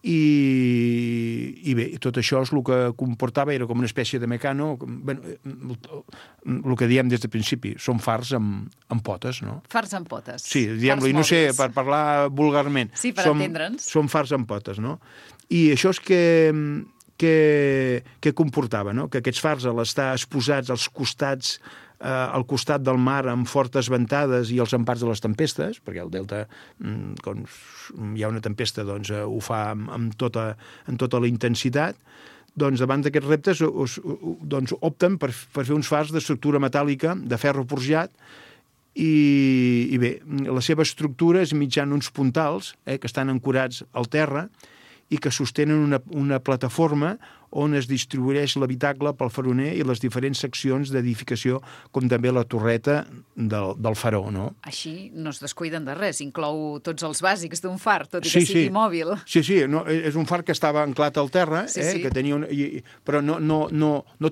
i bé, tot això és el que comportava, era com una espècie de mecano, el que diem des del principi, són fars amb potes, no? Fars amb potes. Sí, diguem-li, no sé, per parlar vulgarment. Sí, per entendre'ns. Són fars amb potes, no? I això és que comportava, no? Que aquests fars, al estar exposats als costats, al costat del mar amb fortes ventades i els empars de les tempestes, perquè el delta, quan hi ha una tempesta, doncs ho fa amb tota la intensitat, doncs davant d'aquests reptes opten per fer uns fars d'estructura metàl·lica, de ferro forjat, i bé, la seva estructura és mitjan uns puntals que estan ancorats al terra i que sostenen una plataforma on es distribueix l'habitacle pel faroner i les diferents seccions d'edificació, com també la torreta del faró, no? Així no es descuiden de res, inclou tots els bàsics d'un far, tot i que sigui mòbil. Sí, no, és un far que estava anclat al terra, que tenia però no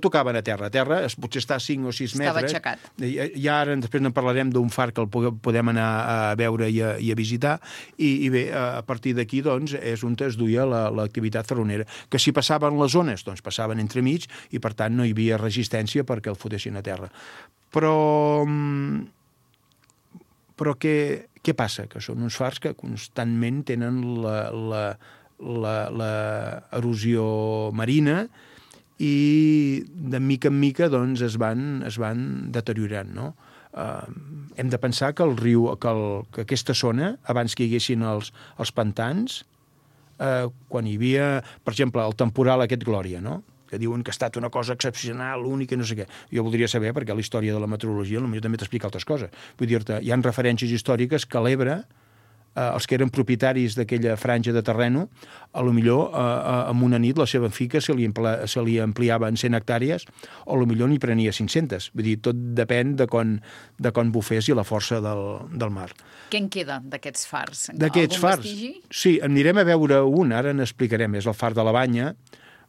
tocaven a terra. A terra potser està a 5 o 6 metres. Estava aixecat. I ara després en parlarem d'un far que el podem anar a veure i a visitar, i bé, a partir d'aquí doncs, és on es duia l'activitat faronera, que si passaven les zones doncs passaven entremig i, per tant, no hi havia resistència perquè el fotessin a terra. Però què passa? Que són uns fars que constantment tenen l'erosió marina i de mica en mica doncs, es van deteriorant, no? Hem de pensar que el riu, que aquesta zona, abans que hi haguessin els pantans, quan hi havia, per exemple, el temporal aquest Glòria, no? Que diuen que ha estat una cosa excepcional, única, no sé què. Jo voldria saber, perquè la història de la meteorologia potser també t'explica altres coses. Vull dir-te, hi ha referències històriques que a l'Ebre, els que eren propietaris d'aquella franja de terreno, a lo millor en una nit la seva finca se li ampliava en 100 hectàrees o a lo millor n'hi prenia 500. Vull dir, tot depèn de quan bufés i la força del mar. Què en queda d'aquests fars? D'aquests fars? Vestigi? Sí, anirem a veure un, ara n'explicarem, és el far de la Banya.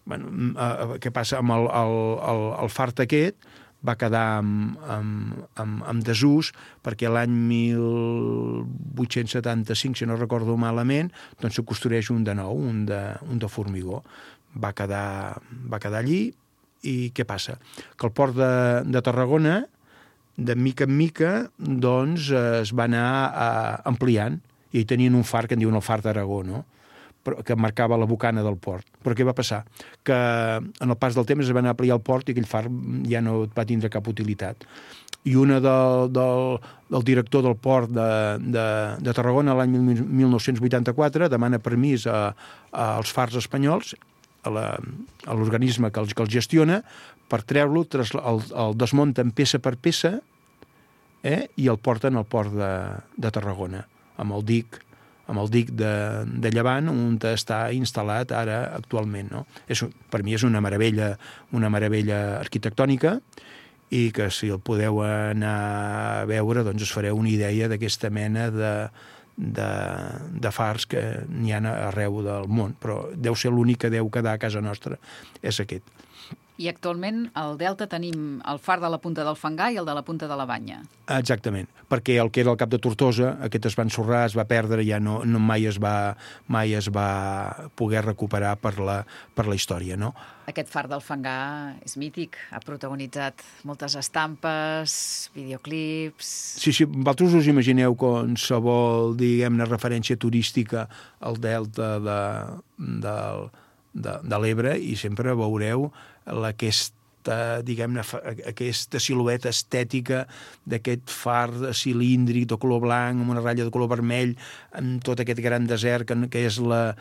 Què passa amb el far aquest? Va quedar en desús perquè l'any 1875, si no recordo malament, doncs se construeix un de nou, un de formigó. Va quedar allí i què passa? Que el port de Tarragona de mica en mica, doncs, es va anar ampliant, i tenien un far que en diuen el far d'Aragó, no?, que marcava la bocana del port. Però què va passar? Que en el pas del temps es va anar a ampliar el port i aquell far ja no va tindre cap utilitat. I una del director del port de Tarragona l'any 1984 demana permís als fars espanyols, a l'organisme que els gestiona, per treure-lo, el desmunten peça per peça, i el porten al port de Tarragona, amb el dic de Llevant, on està instal·lat ara actualment, no? Per mi és una meravella arquitectònica, i que si el podeu anar a veure, doncs us fareu una idea d'aquesta mena de fars que n'hi ha arreu del món, però deu ser l'únic que deu quedar a casa nostra, és aquest. I actualment al Delta tenim el far de la Punta del Fangar i el de la Punta de la Banya. Exactament, perquè el que era el Cap de Tortosa, aquest es va ensorrar, es va perdre, ja mai es va poder recuperar per la història, no? Aquest far del Fangar és mític, ha protagonitzat moltes estampes, videoclips... Sí, vosaltres us imagineu qualsevol, diguem-ne, referència turística al Delta de l'Ebre i sempre veureu aquesta silueta estètica d'aquest far cilíndric de color blanc amb una ratlla de color vermell, amb tot aquest gran desert que és la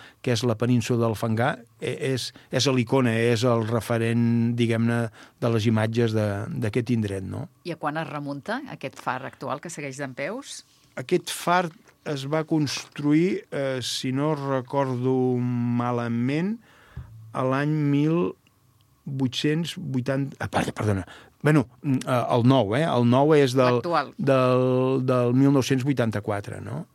península del Fangar. És l'icona, és el referent, diguem-ne, de les imatges d'aquest indret, no? I a quan es remunta aquest far actual que segueix dempeus? Aquest far es va construir, si no recordo malament, a l'any 1880... Perdona. Bueno, el nou, el nou és del 1984, no?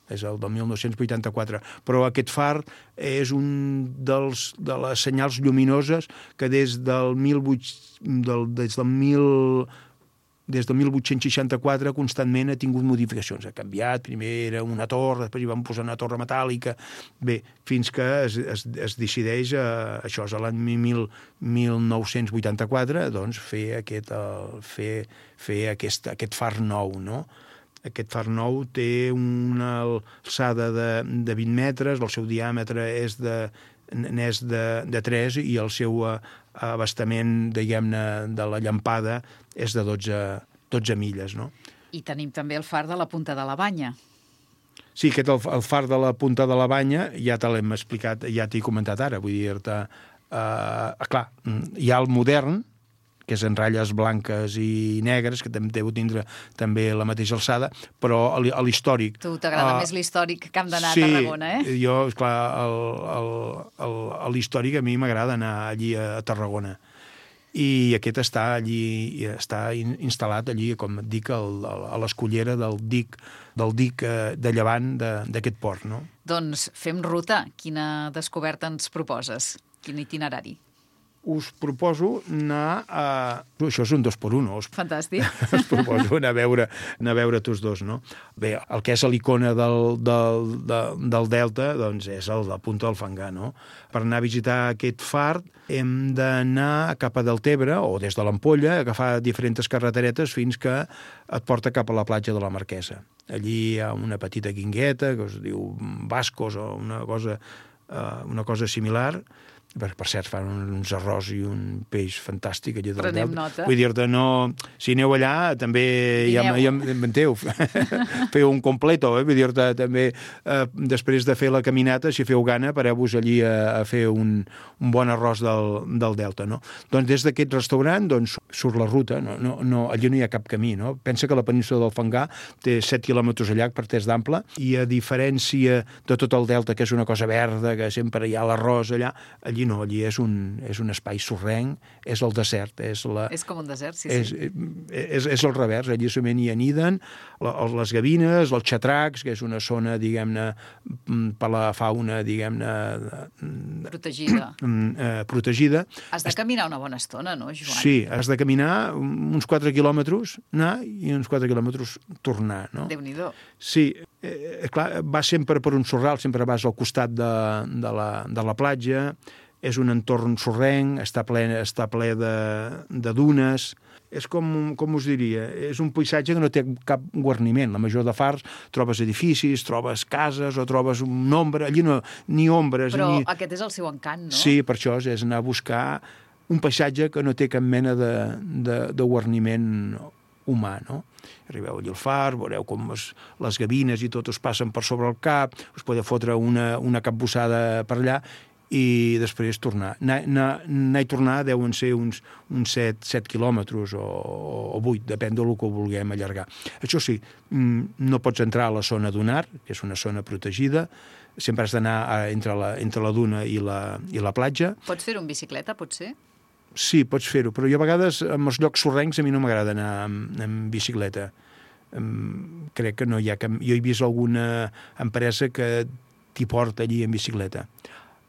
És el del 1984. Però aquest far és un de les senyals lluminoses que des del 1864 constantment ha tingut modificacions. Ha canviat, primer era una torre, després hi van posar una torre metàl·lica, bé, fins que es decideix, això és l'any 1984, doncs fer aquest far nou, no? Aquest far nou té una alçada de 20 metres, el seu diàmetre és de 3 i el seu abastament, diguem-ne, de la llampada és de 12 milles, no? I tenim també el far de la Punta de la Banya. Sí, el far de la Punta de la Banya ja te l'hem explicat, ja t'he comentat ara, vull dir-te... clar, hi ha el modern, que és en ratlles blanques i negres, que deu tindre també la mateixa alçada, però l'històric... Tu t'agrada més l'històric que hem d'anar a Tarragona, eh? Sí, jo, esclar, l'històric a mi m'agrada anar allí a Tarragona. I aquest està allí, està instal·lat allí, com et dic, a l'escullera del dic de llevant d'aquest port, no? Doncs fem ruta. Quina descoberta ens proposes? Quin itinerari? Us proposo anar a... Això és un 2x1. Fantàstic. Us proposo anar a veure tots dos, no? Bé, el que és l'icona del Delta, doncs és el de Punta del Fangar, no? Per anar a visitar aquest far hem d'anar cap a Deltebre o des de l'Ampolla, agafar diferents carreteretes fins que et porta cap a la platja de la Marquesa. Allí hi ha una petita guingueta que es diu Bascos o una cosa similar. Per cert, fan uns arròs i un peix fantàstic allà del Prenem Delta. nota. Vull dir-te, no... Si aneu allà, també ja m'enteu. Feu un completo, vull dir-te, també després de fer la caminata, si feu gana, pareu-vos allí a fer un bon arròs del Delta, no? Doncs des d'aquest restaurant, doncs, surt la ruta, allí no hi ha cap camí, no? Pensa que la península del Fangar té 7 quilòmetres a llarg per terç d'ample, i a diferència de tot el Delta, que és una cosa verda, que sempre hi ha l'arròs allà, allí no, allí és un espai sorrenc, és el desert. És com un desert, sí. És el revers, allí solament hi aniden les gavines, els xatracs, que és una zona, diguem-ne, per la fauna, diguem-ne... protegida. Has de caminar una bona estona, no, Joan? Sí, has de caminar uns 4 quilòmetres, anar i uns 4 quilòmetres tornar, no? Déu-n'hi-do. Sí, clar, vas sempre per un sorral, sempre vas al costat de la platja, és un entorn sorrenc, està ple de dunes, és com us diria, és un paisatge que no té cap guarniment. La major de fars trobes edificis, trobes cases o trobes un ombra, allí no, ni ombres. Però aquest és el seu encant, no? Sí, per això és anar a buscar un paisatge que no té cap mena de guarniment humà, no? Arribeu allà al far, veureu com les gavines i tot us passen per sobre el cap, us podeu fotre una capbussada per allà i després tornar. Anar i tornar deuen ser uns 7 quilòmetres o 8, depèn del que vulguem allargar. Això sí, no pots entrar a la zona dunar, que és una zona protegida, sempre has d'anar entre la duna i la platja. Pots fer-ho en bicicleta, potser? Sí, pots fer-ho, però jo a vegades en els llocs sorrencs a mi no m'agrada anar en bicicleta. Crec que no hi ha cap... Jo he vist alguna empresa que t'hi porta allí en bicicleta.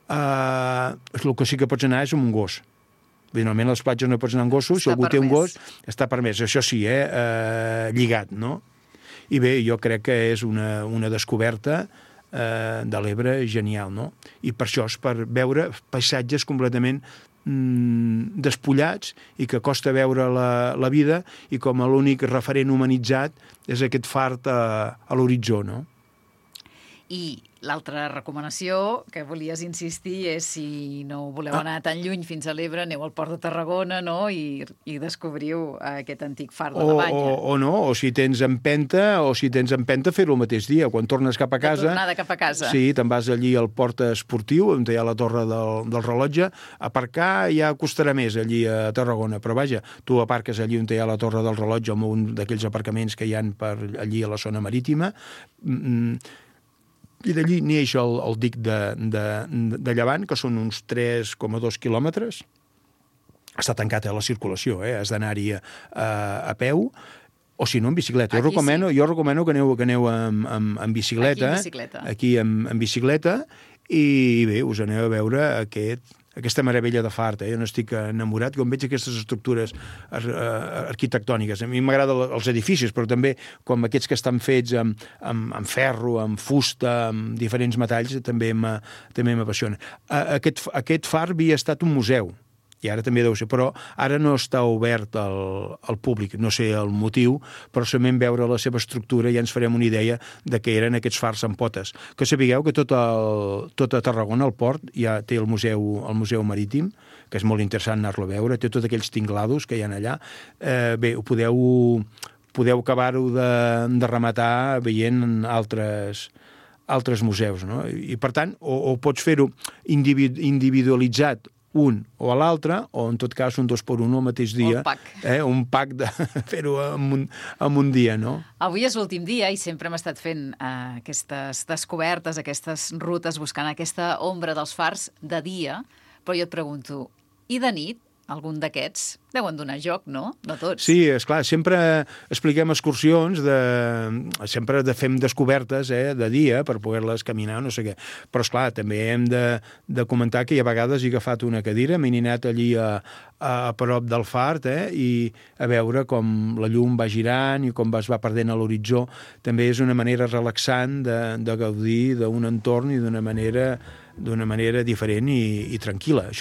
El que sí que pots anar és amb un gos. Normalment a les platges no pots anar amb gossos, si algú té un gos està permès. Això sí, lligat, no? I bé, jo crec que és una descoberta de l'Ebre genial, no? I per això és per veure paisatges completament despullats i que costa veure la vida i com l'únic referent humanitzat és aquest fart a l'horitzó, no? I l'altra recomanació que volies insistir és si no voleu anar tan lluny fins a l'Ebre, aneu al Port de Tarragona, no? I descobriu aquest antic far de la Banya. O no, o si tens empenta, fer-ho el mateix dia. Quan tornes cap a casa... De tornada cap a casa. Sí, te'n vas allí al port esportiu, on hi ha la torre del rellotge. Aparcar ja costarà més allí a Tarragona, però vaja, tu aparques allí on hi ha la torre del rellotge, en un d'aquells aparcaments que hi ha per allí a la zona marítima, i d'allí neix el dic de Llevant, que són uns 3,2 quilòmetres. Està tancat a la circulació, has d'anar-hi a peu, o si no, en bicicleta. Jo recomano que aneu en bicicleta. Aquí en bicicleta, i bé, us aneu a veure aquesta meravella de fart. Jo n'estic enamorat, com veig aquestes estructures arquitectòniques. A mi m'agraden els edificis, però també com aquests que estan fets amb ferro, amb fusta, amb diferents metalls, també m'apassiona. Aquest far havia estat un museu, i ara també deu ser, però ara no està obert al públic, no sé el motiu, però solament veure la seva estructura ja ens farem una idea de què eren aquests fars amb potes. Que sapigueu que tot a Tarragona, al port, ja té el museu marítim, que és molt interessant anar-lo a veure, té tots aquells tinglados que hi ha allà. Bé, podeu acabar-ho de rematar veient altres museus, no? I per tant, o pots fer-ho individualitzat un o a l'altre, o en tot cas un 2x1 al mateix dia. Un pack de fer-ho en un dia, no? Avui és l'últim dia i sempre hem estat fent aquestes descobertes, aquestes rutes, buscant aquesta ombra dels fars de dia, però jo et pregunto, i de nit? Algun d'aquests deuen donar joc, no? No tots. Sí, esclar, sempre expliquem excursions, sempre fem descobertes de dia per poder-les caminar, no sé què. Però, esclar, també hem de comentar que a vegades he agafat una cadira, m'he anat allí a prop del far i a veure com la llum va girant i com es va perdent a l'horitzó. També és una manera relaxant de gaudir d'un entorn i d'una manera diferent i tranquil·la.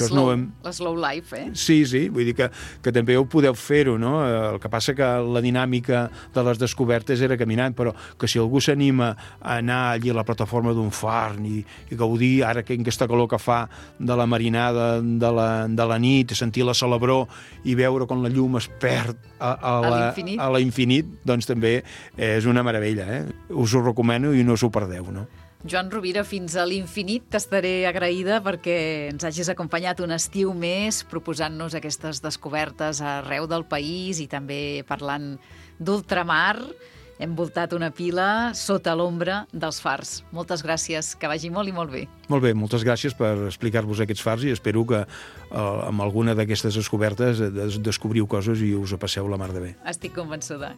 La slow life, Sí, vull dir que també ho podeu fer-ho, no? El que passa que la dinàmica de les descobertes era caminant, però que si algú s'anima a anar allí a la plataforma d'un far i gaudir, ara que aquesta calor que fa de la marinada de la nit, sentir la celebró i veure com la llum es perd a l'infinit, doncs també és una meravella, Us ho recomano i no us ho perdeu, no? Joan Rovira, fins a l'infinit t'estaré agraïda perquè ens hagis acompanyat un estiu més proposant-nos aquestes descobertes arreu del país i també parlant d'ultramar. Hem voltat una pila sota l'ombra dels fars. Moltes gràcies, que vagi molt i molt bé. Molt bé, moltes gràcies per explicar-vos aquests fars i espero que amb alguna d'aquestes descobertes descobriu coses i us ho passeu la mar de bé. Estic convençuda.